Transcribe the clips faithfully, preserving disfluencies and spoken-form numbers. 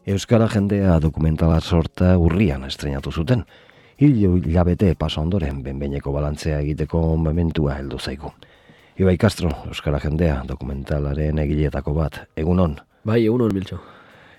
Euskara jendea dokumentala sorta urrian estrenatu zuten. Hiru hilabete pasa ondoren benbeineko balantzea egiteko momentua heldu zaigu. Ibai Castro, Euskara jendea dokumentalaren egileetako bat, egunon. Bai, egunon, Miltxo.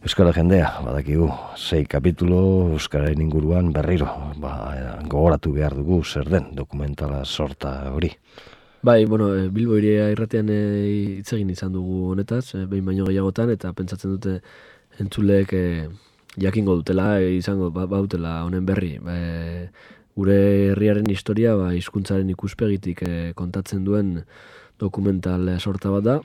Euskara jendea, badakigu, sei kapitulo Euskararen inguruan berriro, ba, gogoratu behar dugu zer den dokumentala sorta hori. Bai, bueno, Bilbo Hiria irratean hitz egin izan dugu honetaz, behin baino gehiagotan, eta pentsatzen dute entzuleek e, jakingo dutela, e, izango ba, bautela honen berri. E, gure herriaren historia ba, hizkuntzaren ikuspegitik e, kontatzen duen dokumental sorta bat da,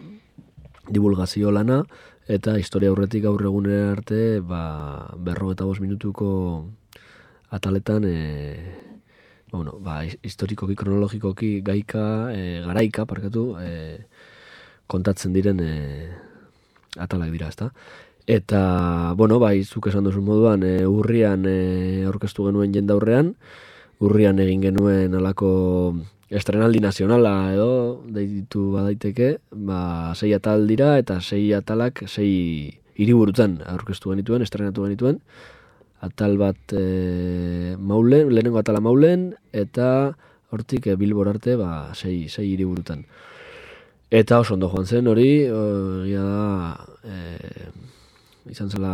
divulgazio lana, eta historia aurretik gaur egunera arte ba, berrogeta bost minutuko ataletan e, bueno, ba, historikoki, kronologikoki, gaika, e, garaika, parkatu, e, kontatzen diren e, atalak dira, ezta? Eta, bueno, bai, zuk esan duzun moduan, e, urrian e, aurkeztu genuen jendaurrean, urrian egin genuen alako estrenaldi nazionala edo, deitu badaiteke, ba, sei atal dira, eta sei atalak, sei hiriburutan aurkeztu genituen, estrenatu genituen, atal bat e, Maulen, lehenengo atala Maulen, eta hortik e, Bilbor arte, ba, sei, sei hiriburutan. Eta oso ondo joan zen hori, egia da, e, izan zela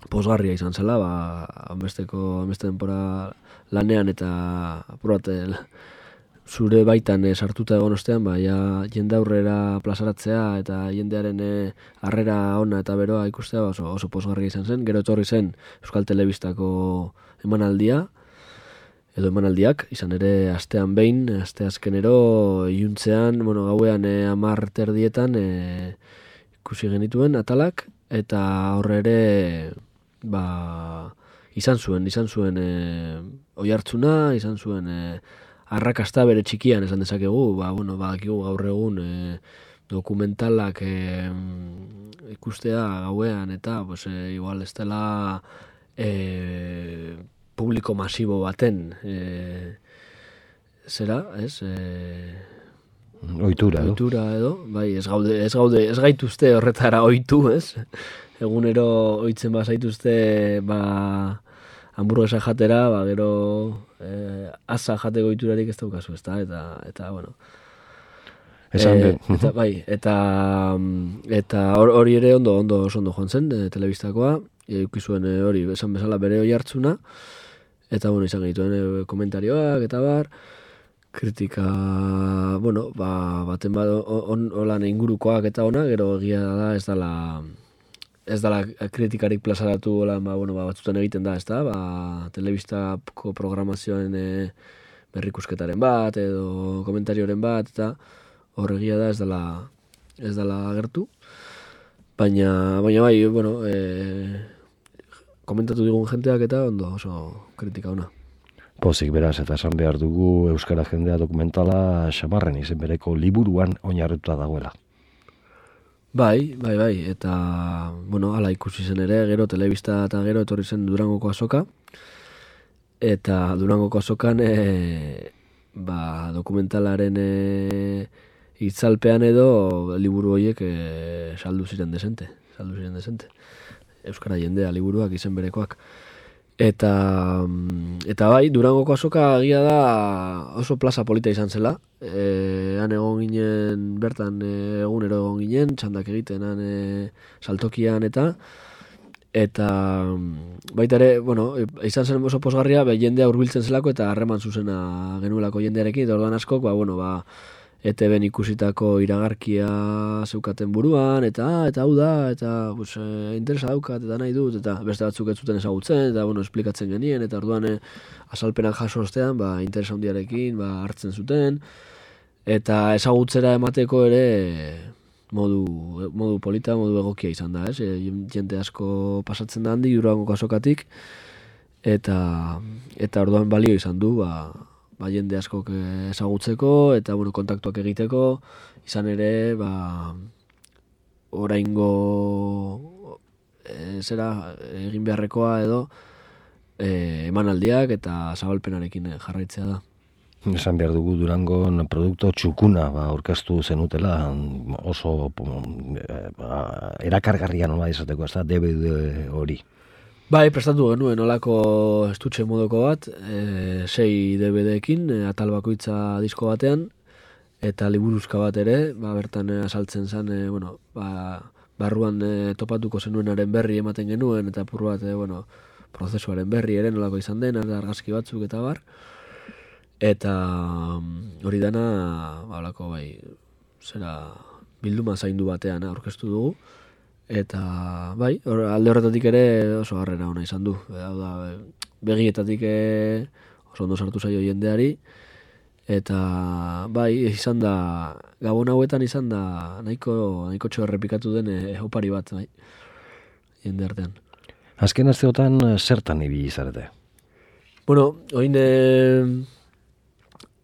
posgarria izan zela, ba, hanbesteko, hanbeste denpora lanean eta apurate zure baitan e, sartuta egon ostean, ba, ja, jende aurrera plazaratzea eta jendearen e, harrera ona eta beroa ikustea ba, oso, oso posgarria izan zen. Gero etorri zen Euskal Telebistako emanaldia, edo emanaldiak, izan ere astean behin, aste azkenero, iluntzean, bueno, gauean e, amar terdietan e, ikusi genituen atalak, eta horre ere ba, izan zuen, izan zuen e, oihartzuna, izan zuen e, arrakasta bere txikian esan dezakegu, ba, bueno, badakigu gaur egun e, dokumentalak e, ikustea gauean eta pues, e, igual ez dela e, publiko masibo baten e, zera, ez? E, Ohitura edo. Ohitura edo, bai, ez gaude, ez gaude, ez gaituzte horretara ohitu, ez? Egunero ohitzen bazaituzte, ba, hamburguesa jatera, ba, gero eh, asa jateko ohiturarik ez daukazu, ezta? Eta, eta, bueno. Esan e, eta, bai, eta, eta hori ere ondo, ondo, oso ondo joan zen, e, telebistakoa, eukizuen e, hori, esan bezala bere oihartzuna, eta, bueno, izan genituen e, komentarioak, eta bar, kritika, bueno, ba, baten bat on, olan ingurukoak eta ona, gero egia da ez dala, ez dala kritikarik plazaratu hola, ba, bueno, ba, batzutan egiten da, ez da, ba, telebistako programazioen e, berrikusketaren bat, edo komentarioren bat, eta horregia da ez dala, ez dala agertu, baina, baina bai, bueno, e, komentatu digun jenteak eta ondo oso kritika ona. Pozik beraz, eta esan behar dugu Euskara jendea dokumentala Xamarren izen bereko liburuan oinarrituta dagoela. Bai, bai, bai, eta, bueno, ala ikusi zen ere, gero telebista eta gero etorri zen Durangoko azoka, eta Durangoko azokan, e, ba, dokumentalaren e, itzalpean edo liburu horiek e, saldu ziren desente, saldu ziren desente. Euskara jendea liburuak izen berekoak. Eta, eta bai, Durangoko azoka agia da oso plaza polita izan zela. E, han egon ginen, bertan e, egunero egon ginen, txandak egiten, han e, saltokian eta, eta baita ere, bueno, izan zen oso posgarria, be, jendea hurbiltzen zelako eta harreman zuzena genuelako jendearekin, eta orduan askok, ba, bueno, ba, E T B-n ikusitako iragarkia zeukaten buruan, eta eta hau da, eta pues, e, interesa daukat, eta nahi dut, eta beste batzuk ez zuten ezagutzen, eta bueno, esplikatzen genien, eta orduan e, azalpenak jaso ostean, ba, interesa handiarekin, ba, hartzen zuten, eta ezagutzera emateko ere modu, modu polita, modu egokia izan da, ez? E, jente asko pasatzen da handi, Durangoko azokatik, eta, eta orduan balio izan du, ba, ba, jende askok ezagutzeko eta bueno, kontaktuak egiteko, izan ere, ba, oraingo e, zera egin beharrekoa edo e, emanaldiak eta zabalpenarekin jarraitzea da. Esan behar dugu Durangon produktu txukuna ba, aurkeztu zenutela, oso eh, ba, erakargarria nola izateko, ez da, D V D hori. Bai, prestatu genuen olako estutxe modoko bat, e, sei D V D-ekin, e, atal bakoitza disko batean, eta liburuzka bat ere, ba, bertan e, asaltzen zen, e, bueno, ba, barruan e, topatuko zenuenaren berri ematen genuen, eta apur bat, e, bueno, prozesuaren berri ere nolako izan den, argazki batzuk eta bar. Eta hori dana, balako bai, zera bilduma zaindu batean aurkeztu dugu. Eta bai, or, alde horretatik ere oso harrera ona izan du. Hau da, begietatik oso ondo sartu zaio jendeari. Eta bai, izan da, gabon hauetan izan da nahiko, nahiko txo errepikatu den e, opari bat, bai, jende artean. Azken asteotan zertan ibili zarete? Bueno, oin... E,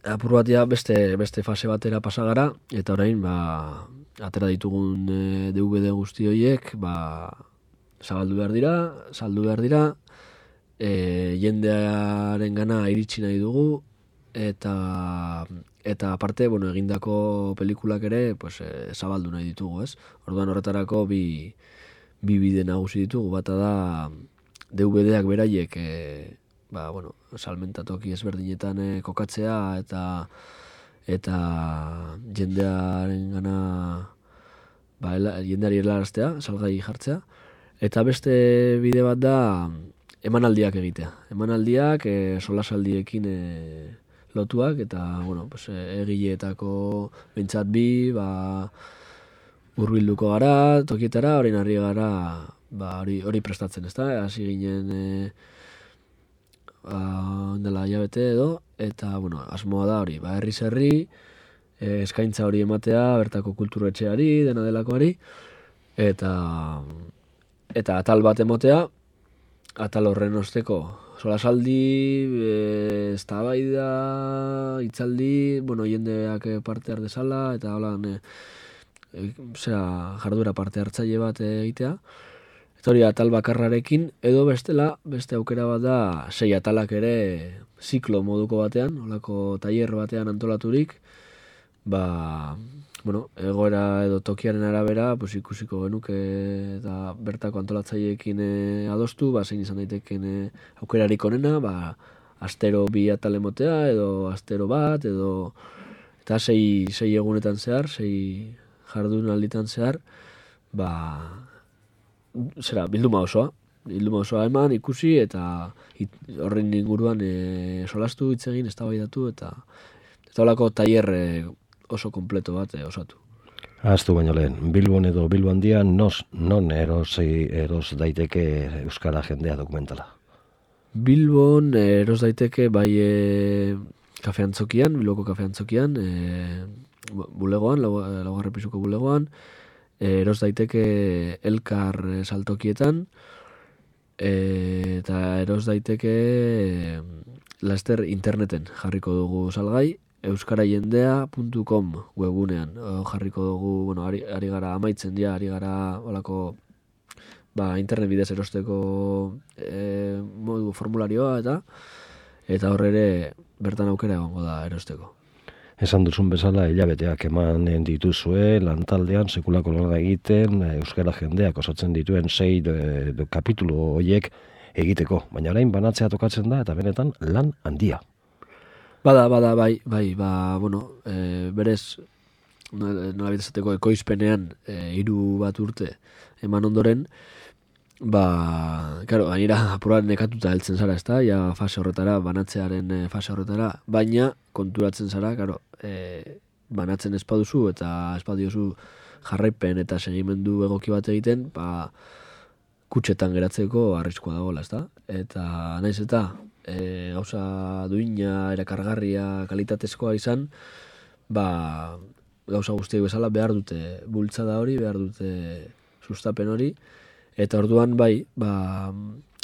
apur bat ja beste, beste fase batera pasagara, eta orain, ba, atera ditugun e, D V D guzti horiek, ba, zabaldu behar dira, saldu behar dira, e, jendearen gana iritsi nahi dugu, eta, eta aparte, bueno, egindako pelikulak ere, pues, e, zabaldu nahi ditugu, ez? Orduan horretarako bi, bi bide nagusi ditugu, bata da D V D-ak beraiek, e, ba, bueno, salmentatoki ezberdinetan e, kokatzea eta eta jendearen gana ba, ela, jendeari helaraztea, salgai jartzea. Eta beste bide bat da emanaldiak egitea. Emanaldiak e, solasaldiekin e, lotuak eta bueno, pues, e, egileetako behintzat bi, ba, hurbilduko gara, tokietara, orain harri gara ba, hori, hori prestatzen, ezta? Hasi ginen... E, Uh, dela hilabete edo, eta bueno, asmoa da hori, ba, herriz herri, e, eskaintza hori ematea, bertako kulturetxeari, dena delakoari, eta eta atal bat emotea, atal horren osteko solasaldi, e, eztabaida, hitzaldi, bueno, jendeak parte har dezala, eta holan, e, e, zera, jarduera parte hartzaile bat egitea, hori atal bakarrarekin, edo bestela, beste aukera bat da, sei atalak ere ziklo moduko batean, olako tailer batean antolaturik, ba, bueno, egoera edo tokiaren arabera, pues, ikusiko genuke eta bertako antolatzaileekin e, adostu, ba, zein izan daiteken e, aukerarik onena, ba, astero bi atal emotea, edo astero bat, edo, eta sei, sei egunetan zehar, sei jardun alditan zehar, ba, zera, bilduma osoa, bilduma osoa eman, ikusi, eta it, horren inguruan e, solastu hitz egin, eztabaidatu eta eta holako tailer oso kompleto bat e, osatu. Ahaztu baino lehen, Bilbon edo Bilbo handian, nos, non erosi, eros daiteke euskara jendea dokumentala? Bilbon eros daiteke bai e, kafeantzokian, Bilboko kafeantzokian, e, bulegoan, laugarren pisuko bulegoan, eros daiteke elkar saltokietan, e, eta eros daiteke e, laster interneten jarriko dugu salgai, euskaraiendea puntu com webunean o, jarriko dugu, bueno, ari, ari gara amaitzen ja, ari gara olako ba, internet bidez erosteko e, modu formularioa eta eta horre ere bertan aukera egongo da erosteko. Esan duzun bezala, hilabeteak eman dituzue, lantaldean, sekulako lana egiten, euskara jendeak osatzen dituen sei de, de kapitulu horiek egiteko. Baina orain banatzea tokatzen da, eta benetan lan handia. Bada, bada, bai, bai, ba, bueno, e, berez, nola bitezateko ekoizpenean, e, hiru bat urte eman ondoren, ba, karo, gainera apuran nekatuta heltzen zara, ezta, ja fase horretara, banatzearen fase horretara, baina konturatzen zara, karo, e, banatzen espaduzu eta espadiozu jarraipen eta segimendu egoki bat egiten, ba, kutxetan geratzeko arriskua dagoela, ezta? Eta naiz eta e, gauza duina, erakargarria, kalitatezkoa izan, ba, gauza guztiak bezala behar dute bultzada hori, behar dute sustapen hori, eta orduan bai, ba,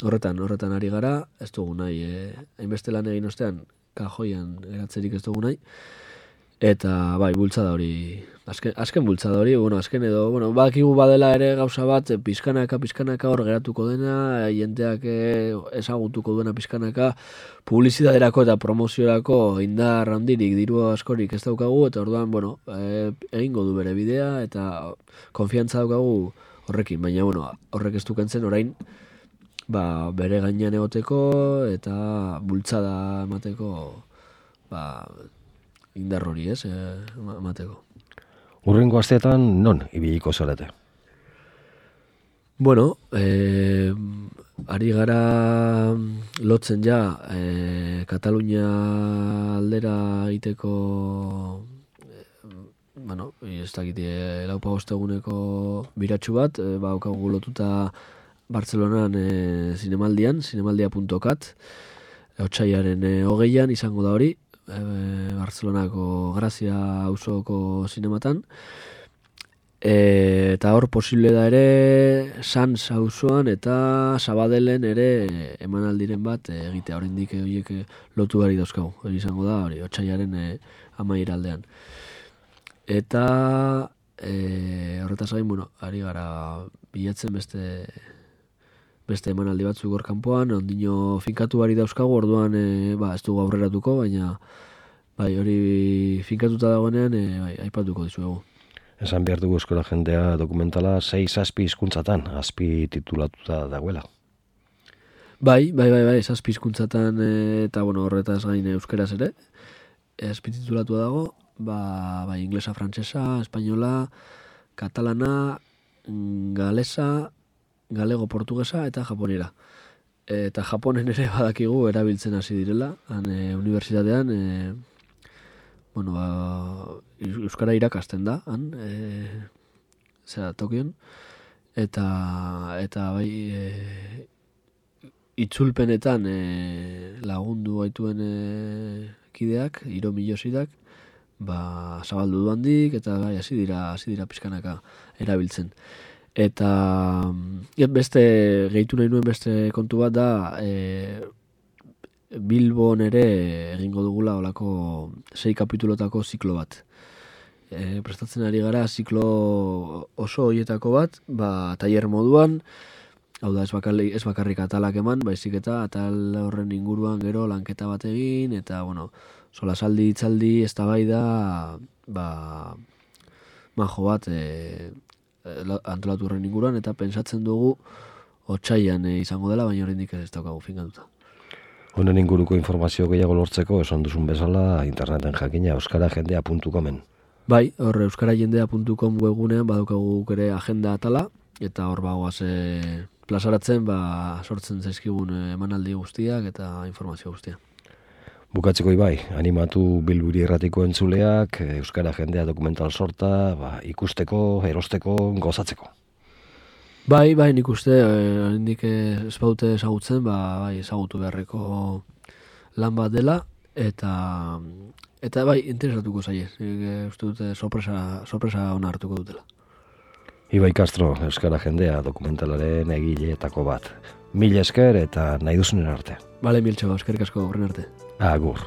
horretan, horretan ari gara, ez dugu nahi, e, hainbeste lan egin ostean, kajoian eratzerik ez dugu nahi, Eta bai, bultzada hori, azken, azken bultzada hori, bueno, azken edo, bueno, bakigu badela ere gauza bat, pizkanaka, pizkanaka hor geratuko dena, jendeak ezagutuko duena pizkanaka, publizidaderako eta promoziorako indar handirik, diru askorik ez daukagu, eta orduan, bueno, e, egingo du bere bidea, eta konfiantza daukagu horrekin, baina, bueno, horrek ez dukentzen orain, ba, bere gainean egoteko, eta bultzada emateko, ba, indar hori, ez, emateko. Urrengo asteetan non ibiliko zarete? Bueno, eh, ari gara lotzen ja eh, Katalunia aldera egiteko, eh, bueno, ez dakit, eh, laupa osteguneko biratxu bat, eh, ba, okagu lotuta Bartzelonan eh, zinemaldian, zinemaldia puntu cat, otsailaren eh, hogeian izango da hori, E, Bartzelonako Grazia auzoko zinematan, e, eta hor posible da ere Sans auzoan eta Sabadellen ere emanaldiren bat e, egitea, oraindik horiek lotu gari dauzkagu, hori izango da hori otsailaren e, amaiera aldean. Eta e, horretaz gain, bueno, ari gara bilatzen beste beste emanaldi batzuk hor kanpoan, ondino finkatu bari dauzkagu, orduan e, ba, ez dugu aurreratuko, baina bai, hori finkatuta dagoenean e, bai, aipatuko dizuegu. Esan behar dugu eskola jendea dokumentala sei zazpi hizkuntzatan azpi titulatuta dagoela. Bai, bai, bai, bai, zazpi hizkuntzatan e, eta bueno, horretaz gain euskeraz ere, azpi titulatua dago, ba, bai, inglesa, frantsesa, espainola, katalana, galesa, galego, portugesa eta japonera. Eta japonen ere badakigu erabiltzen hasi direla, han e, unibertsitatean, e, bueno, ba, euskara irakasten da, han, e, zera, Tokion, eta, eta bai, e, itzulpenetan e, lagundu gaituen e, kideak, Iro Milosidak, ba, zabaldu du handik, eta bai, hasi dira, hasi dira pizkanaka erabiltzen. Eta beste, gehitu nahi nuen beste kontu bat da, e, Bilbon ere egingo dugula olako sei kapitulotako ziklo bat. E, prestatzen ari gara ziklo oso horietako bat, ba, tailer moduan, hau da ez bakarrik, ez bakarrik atalak eman, baizik eta atal horren inguruan gero lanketa bat egin, eta, bueno, solasaldi, itzaldi, eztabaida, ba, majo bat, e, antolatu horren inguruan, eta pentsatzen dugu otsailean e, izango dela, baina oraindik ez daukagu finkatuta. Honen inguruko informazio gehiago lortzeko, esan duzun bezala, interneten jakina euskarajendea puntu comen. Bai, hor euskarajendea puntu com webgunean badaukagu ere agenda atala, eta hor bagoaz e, plazaratzen, ba, sortzen zaizkigun emanaldi guztiak eta informazio guztia. Bukatzeko Ibai, animatu Bilburi Irratiko entzuleak, euskara jendea dokumental sorta, ba, ikusteko, erosteko, gozatzeko. Bai, bai, nik uste, oraindik ez baute ezagutzen, ba, bai, ezagutu beharreko lan bat dela, eta eta bai, interesatuko zaie. Uste dute sorpresa, sorpresa ona hartuko dutela. Ibai Castro, euskara jendea dokumentalaren egileetako bat. Mil esker eta nahi duzunen arte. Bale, miltxo, eskerrik asko, horren arte. Agur.